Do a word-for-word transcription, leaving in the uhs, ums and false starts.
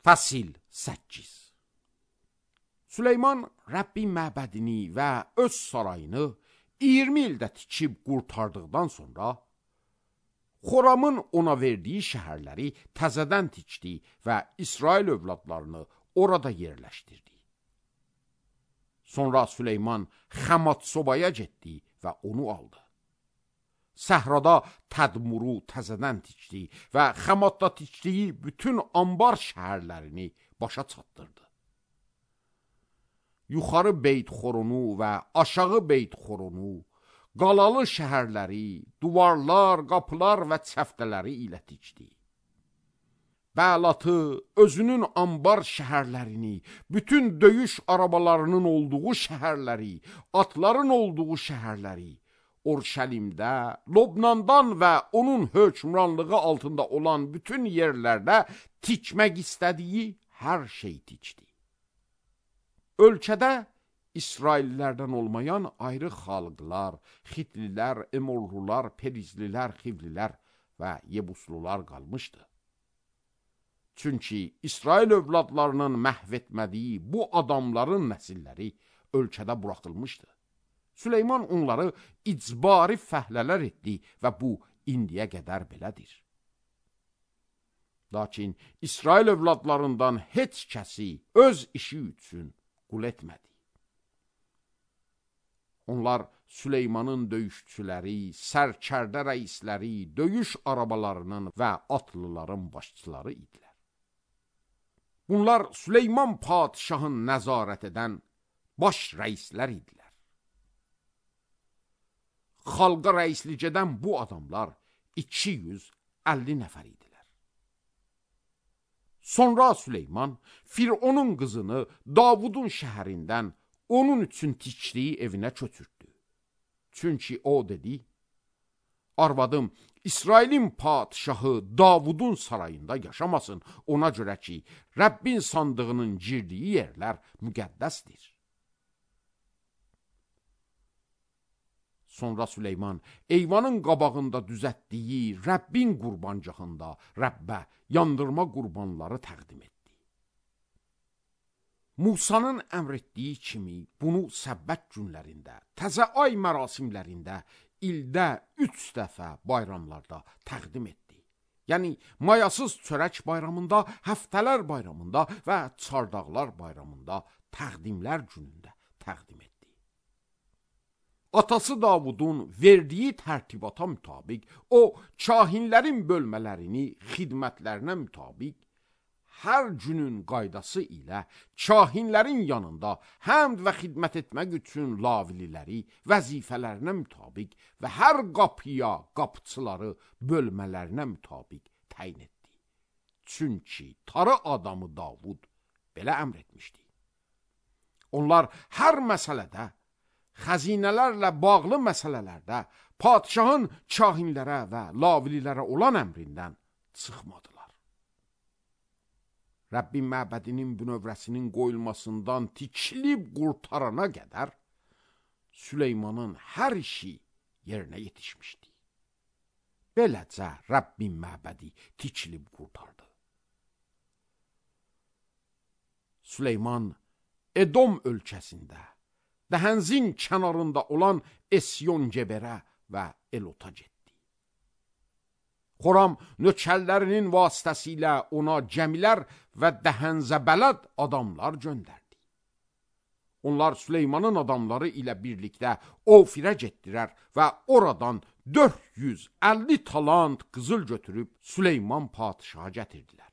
Fəsil səkkiz. Süleyman Rəbbin məbədini və öz sarayını iyirmi ildə tikib qurtardıqdan sonra Xoramın ona verdiyi şəhərləri təzədən tikdi və İsrail övladlarını orada yerləşdirdi. Sonra Süleyman Xamat-sobaya getdi və onu aldı. Səhrada Tədmuru təzədən tikdi və Xamatda tikdiyi bütün ambar şəhərlərini başa çatdırdı. Yuxarı Beyt-xoronu və aşağı Beyt-xoronu, qalalı şəhərləri, duvarlar, qapılar və çəftələri ilə tikdi. Bəlatı, özünün ambar şəhərlərini, bütün döyüş arabalarının olduğu şəhərləri, atların olduğu şəhərləri, Orşəlimdə, Lobnandan və onun hökmranlığı altında olan bütün yerlərdə tikmək istədiyi hər şey tikdi. Ölkədə İsraillərdən olmayan ayrı xalqlar, Xitlilər, Emorlular, Perizlilər, Xivlilər və Yebuslular qalmışdı. Çünki İsrail övladlarının məhv etmədiyi bu adamların nəsilləri ölkədə buraxılmışdı. Süleyman onları icbari fəhlələr etdi və bu indiyə qədər belədir. Lakin İsrail övladlarından heç kəsi öz işi üçün qul etmədi. Onlar Süleymanın döyüşçüləri, sərkərdə rəisləri, döyüş arabalarının və atlıların başçıları idilər. Bunlar Süleyman padişahın nəzarət edən baş rəislər idilər. Xalqa rəislik edən bu adamlar iki yüz əlli nəfər idilər. Sonra Süleyman Fironun qızını Davudun şəhərindən onun üçün tikdiyi evinə köçürtdü. Çünki o dedi, arvadım İsrailin padişahı Davudun sarayında yaşamasın, ona görə ki, Rəbbin sandığının girdiyi yerlər müqəddəsdir. Sonra Süleyman eyvanın qabağında düzətdiyi Rəbbin qurbancağında Rəbbə yandırma qurbanları təqdim etdi. Musanın əmr etdiyi kimi bunu səbbət günlərində, təzə ay mərasimlərində, ildə üç dəfə bayramlarda təqdim etdi. Yəni, mayasız çörək bayramında, həftələr bayramında və çardaqlar bayramında təqdimlər günündə təqdim etdi. Atası Davudun verdiyi tərtibata mütabiq, o, kahinlərin bölmələrini xidmətlərinə mütabiq, hər günün qaydası ilə kahinlərin yanında həmd və xidmət etmək üçün lavililəri vəzifələrinə mütabiq və hər qapıya qapıçıları bölmələrinə mütabiq təyin etdi. Çünki tarı adamı Davud belə əmr etmişdi. Onlar hər məsələdə, xəzinələrlə bağlı məsələlərdə padişahın kahinlərə və lavililərə olan əmrindən çıxmadılar. Rəbbin məbədinin bünövrəsinin qoyulmasından tikilib qurtarana qədər Süleymanın hər işi yerinə yetişmişdi. Beləcə Rəbbin məbədi tikilib qurtardı. Süleyman Edom ölkəsində, Dəhənzin kənarında olan Esyon-Geberə və Elota getdi. Xoram nökərlərinin vasitəsilə ona gəmilər və Dəhənzə bələd adamlar göndərdi. Onlar Süleymanın adamları ilə birlikdə Ofirə getdilər və oradan dörd yüz əlli talant qızıl götürüb Süleyman padişaha gətirdilər.